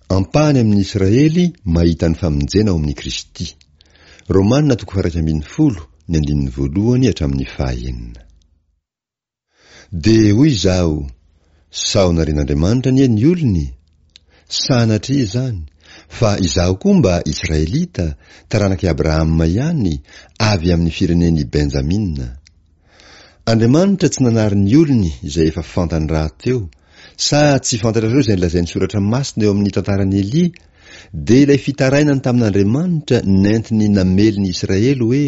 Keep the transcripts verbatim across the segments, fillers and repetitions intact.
Ampahany amin'ny Israely mahita ny famonjena ao amin'i Kristy. Romana toko faha-iraika ambin'ny folo, ny andininy voalohany hatramin'ny faha-enina. Dia hoy izaho, Sao narian'Andriamanitra anie ny olony? Sanatria izany, fa izaho koa mba Israelita, taranak'i Abrahama ihany, avy amin'ny firenen'i Benjamina. Andriamanitra tsy nanary ny olony izay efa fantany rahateo. Sa tsy fantatrareo izay nolazain'ny Soratra Masina eo amin'ny tantaran'i Elia, dia ilay fitarainany tamin'Andriamanitra nentiny namely ny Israely hoe,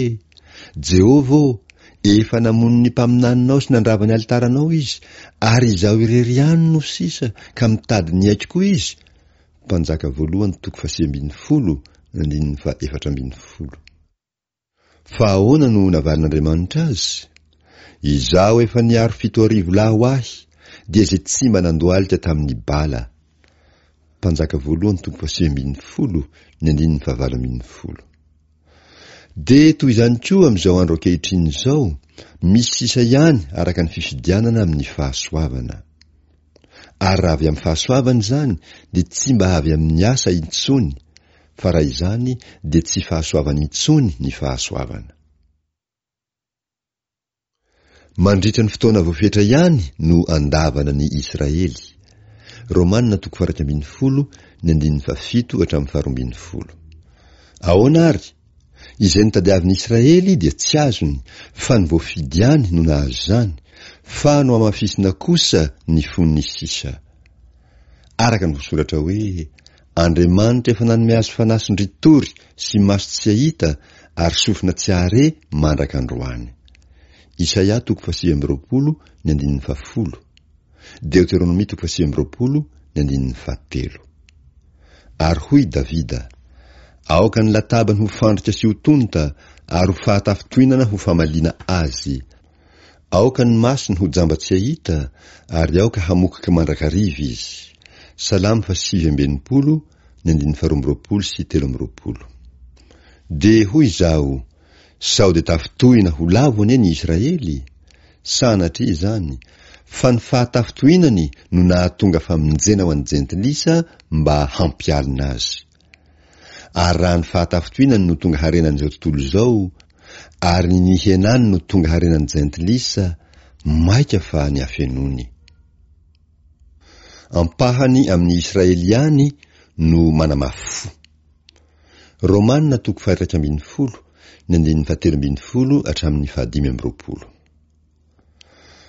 Jehovah ô, efa namono ny mpaminaninao sy nandrava ny alitaranao izy, ary izaho irery ihany no sisa, ka mitady ny aiko koa izy? Mpanjaka voalohany toko fahasivy ambin'ny folo, andininy fahaefatra ambin'ny folo. Fa ahoana no navalin'Andriamanitra azy? Izaho efa niaro fito arivo lahy ho ahy, dia izay tsy mba nandohalika tamin'ny Bala. Mpanjaka voalohany toko fahasivy ambin'ny folo, ny andininy fahavalo ambin'ny folo. Dia toy izany koa amin'izao andro ankehitriny izao, misy sisa ihany araka ny fifidianana amin'ny fahasoavana. Ary raha avy amin'ny fahasoavana izany, dia tsy mba avy amin'ny asa intsony, fa raha izany dia tsy fahasoavana intsony ny fahasoavana. Mandritra ny fotoana voafetra ihany no andavana ny Israely. Romana toko faha-iraika ambin'ny folo, ny andininy fahafito hatramin'ny faharoa ambin'ny folo. Ahoana ary? Izay notadiavin'ny Israely dia tsy azony, fa ny voafidy ihany no nahazo izany, fa nohamafisina kosa ny fon'ny sisa. Araka ny voasoratra hoe, Andriamanitra efa nanome azy fanahy sondritory sy maso tsy hahita ary sofina tsy hahare mandraka androany. Isaia toko fahasivy amby roapolo ny andininy fahafolo, Deoteronomia toko fahasivy amby roapolo ny andininy fahatelo. Ary hoy Davida, Aoka ny latabany ho fandrika sy ho tonta ary ho fahatafintohinana ho famaliana azy. Aoka ny masony ho jamba tsy hahita, ary aoka hamokoka mandrakariva izy. Salamo fahasivy amby enimpolo, ny andininy faharoa amby roapolo sy telo amby roapolo. Dia hoy izaho, Sao dia tafintohina ho lavo anie ny Israely? Sanatria izany, fa ny fahatafintohinany no nahatonga famonjena ho an'ny Jentilisa mba hampialona azy. Ary raha ny fahatafintohinany no tonga harenan'izao tontolo izao, ary ny nihenany no tonga harenan'ny Jentilisa, mainka fa ny hafenoany. Ampahany amin'ny Israely ihany no manamafy fo. Romana toko faha-iraika ambin'ny folo, ny andininy fahatelo ambin'ny folo hatramin'ny fahadimy amby roapolo.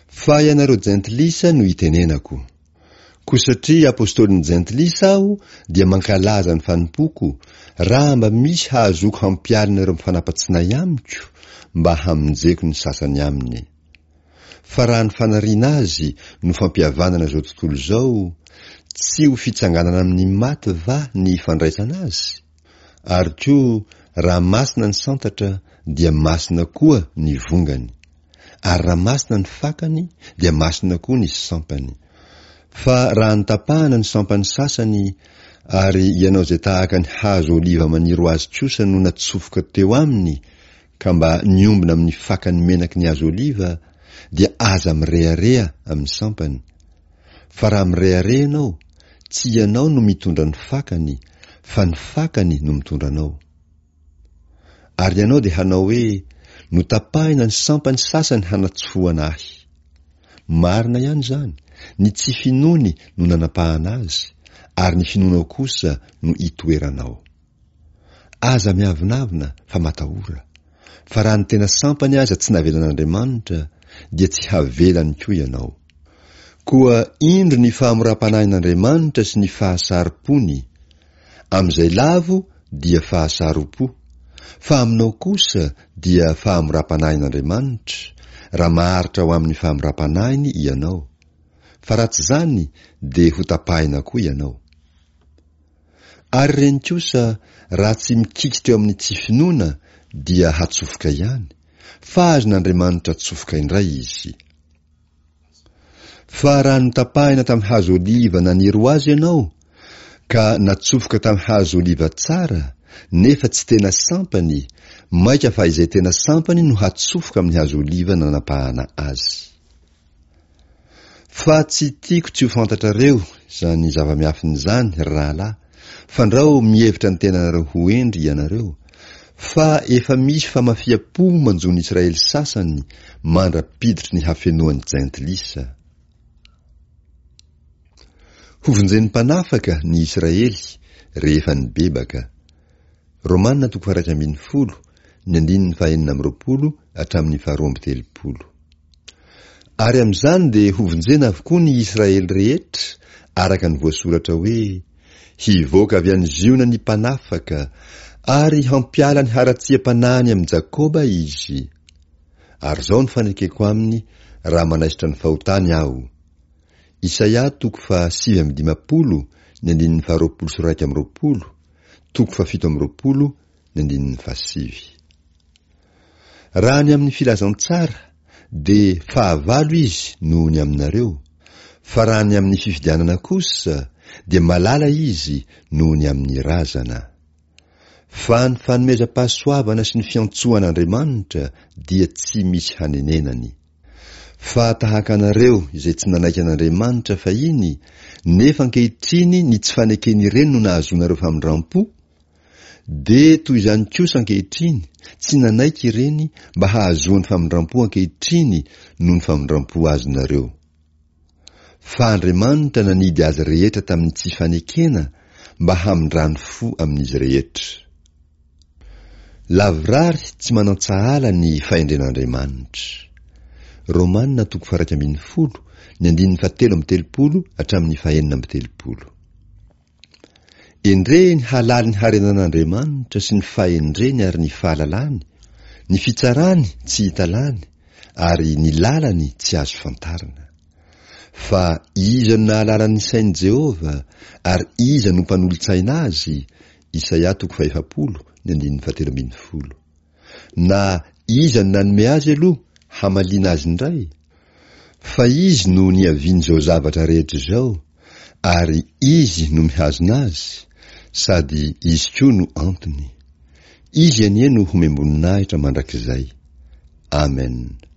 Fa ianareo Jentilisa no itenenako. Koa satria apostolin'ny Jentilisa aho, dia mankalaza ny fanompoako, raha mba misy hahazoako hampialina ireo mifanapa-tsinay amiko, mba hamonjeko ny sasany aminy. Fa raha ny fanariana azy no fampihavanana izao tontolo izao, tsy ho fitsanganana amin'ny maty va ny fandraisana azy? Ary koa raha masina ny santatra dia masina koa ny vongany, ary raha masina ny fakany dia masina koa ny sampany. Fa raha notapahana ny sampany sasany, ary ianao izay tahaka ny hazo oliva maniry ho azy kosa no natsofoka teo aminy ka mba niombona amin'ny fakany menaky ny hazo oliva, dia aza mirehareha amin'ny sampany. Fa raha mirehareha ianao, tsy ianao no mitondra ny fakany, fa ny fakany no mitondra anao. Ary ianao dia hanao hoe, Notapahina ny sampany sasany hanatsofohana ahy. Marina ihany izany, ny tsy finoany no nanapahana azy, ary ny finoanao kosa no itoeranao. Aza miavonavona fa matahora, fa raha ny tena sampany aza tsy navelan'Andriamanitra, dia tsy havelany koa ianao. Koa indro ny fahamoram-panahin'Andriamanitra sy ny fahasarom-pony, amin'izay lavo dia fahasarom-po, fa aminao kosa dia fahamoram-panahin'Andriamanitra, raha maharitra ao amin'ny fahamoram-panahiny ianao, fa raha tsy izany dia hotapahina koa ianao. Ary ireny kosa raha tsy mikikitra eo amin'ny tsy finoana dia hatsofoka ihany, fa azon'Andriamanitra atsofoka indray izy. Fa raha notapahina tamin'ny hazo oliva naniry ho azy ianao, ka natsofoka tamin'ny hazo oliva tsara, nefa tsy tena sampany, mainka fa izay tena sampany no hatsofoka amin'ny hazo oliva nanapahana azy. Fa tsy tiako tsy ho fantatrareo izany zava-miafina izany, ry rahalahy, fandrao mihevitra ny tenanareo ho hendry ianareo, fa efa misy famafiam-po manjo ny Israely sasany mandra-piditry ny hafenoan'ny jentilisa. Hovonjen'ny mpanafaka ny Israely rehefa nibebaka. Romana toko faha-iraika ambin'ny folo, ny andininy fahenina amby roapolo hatramin'ny faharoa amby telopolo. Ary amin'izany dia hovonjena avokoa ny Israely rehetra, araka ny voasoratra hoe, Hivoaka avy any Ziona ny mpanafaka, ary hampiala ny haratsiam-panahiny amin'i Jakoba izy. Ary izao no fanekeko aminy raha manaisotra ny fahotany aho. Isaia toko fahasivy amby dimampolo, ny andininy faharoapolo sy iraika amby roapolo, toko fahafito amby roapolo, ny andininy fahasivy. Raha ny amin'ny filazantsara, dia fahavalo izy noho ny aminareo, fa raha ny amin'ny fifidianana kosa, dia malala izy noho ny amin'ny razana. Fa ny fanomezam-pahasoavana sy ny fiantsoan'Andriamanitra dia tsy misy hanenenany. Fa tahaka anareo izay tsy nanaiky an'Andriamanitra fahiny, nefa ankehitriny ny tsy faneken'ireny no nahazoanareo famindram-po, dia toy izany kosa ankehitriny, tsy nanaiky ireny mba hahazoany famindram-po ankehitriny noho ny famindram-po azonareo. Fa Andriamanitra nanidy azy rehetra tamin'ny tsy fanekena mba hamindrany fo amin'izy rehetra. Lavorary tsy manan-tsahala ny fahendren'Andriamanitra. Romana toko faha-iraika ambin'ny folo, ny andininy fahatelo amby telopolo hatramin'ny fahenina amby telopolo. Endrey ny halalin'ny harenan'Andriamanitra sy ny fahendreny ary ny fahalalany, ny fitsarany tsy hita lany, ary ny lalany tsy azo fantarina. Fa iza no nahalala ny sain'i Jehovah, ary iza no mpanolo-tsaina azy? Isaia toko fahefapolo, ny andininy fahatelo ambin'ny folo. Na iza no nanome azy aloha hamaliana azy indray? Fa izy no niavian'izao zavatra rehetra izao, ary izy no mihazona azy, sady izy koa no antony. Izy anie no homem-boninahitra mandrakizay. Amen.